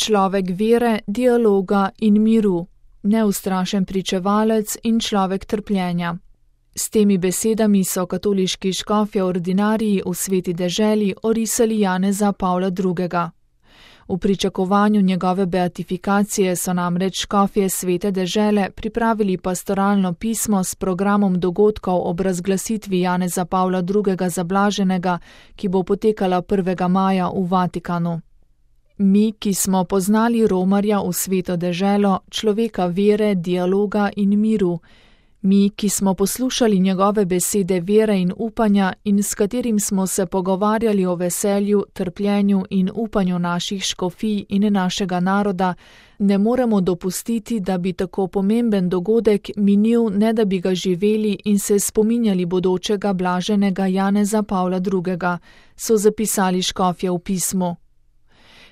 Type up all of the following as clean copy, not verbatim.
človek vere, dialoga in miru, neustrašen pričevalec in človek trpljenja. S temi besedami so katoliški škofje ordinariji v Sveti deželi orisali Janeza Pavla II. V pričakovanju njegove beatifikacije so namreč škofje Svete dežele pripravili pastoralno pismo s programom dogodkov ob razglasitvi Janeza Pavla II. Za blaženega, ki bo potekala 1. maja v Vatikanu. Mi, ki smo poznali romarja v Sveto deželo, človeka vere, dialoga in miru, mi, ki smo poslušali njegove besede vere in upanja in s katerim smo se pogovarjali o veselju, trpljenju in upanju naših škofij in našega naroda, ne moremo dopustiti, da bi tako pomemben dogodek minil, ne da bi ga živeli in se spominjali bodočega blaženega Janeza Pavla II., so zapisali škofje v pismu.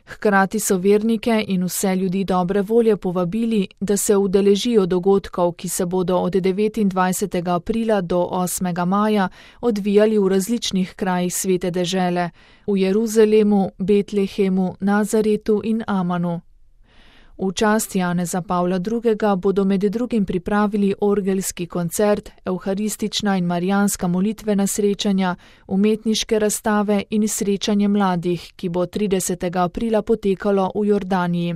Hkrati so vernike in vse ljudi dobre volje povabili, da se udeležijo dogodkov, ki se bodo od 29. aprila do 8. maja odvijali v različnih krajih Svete dežele, v Jeruzalemu, Betlehemu, Nazaretu in Amanu. V čast Janeza Pavla II. Bodo med drugim pripravili orgelski koncert, evharistična in marijanska molitvena srečanja, umetniške razstave in srečanje mladih, ki bo 30. aprila potekalo v Jordaniji.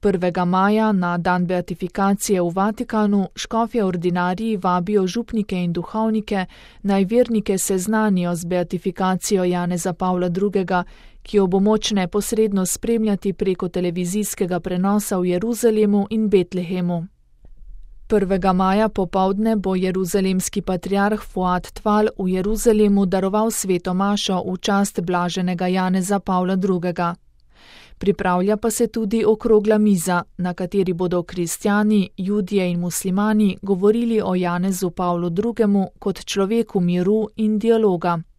1. maja, na dan beatifikacije v Vatikanu, škofje ordinariji vabijo župnike in duhovnike, naj vernike seznanijo z beatifikacijo Janeza Pavla II., ki jo bo moč neposredno spremljati preko televizijskega prenosa v Jeruzalemu in Betlehemu. 1. maja popoldne bo jeruzalemski patriarh Fuad Tval v Jeruzalemu daroval sveto mašo v čast blaženega Janeza Pavla II. Pripravlja pa se tudi okrogla miza, na kateri bodo kristjani, judje in muslimani govorili o Janezu Pavlu II. Kot človeku miru in dialoga.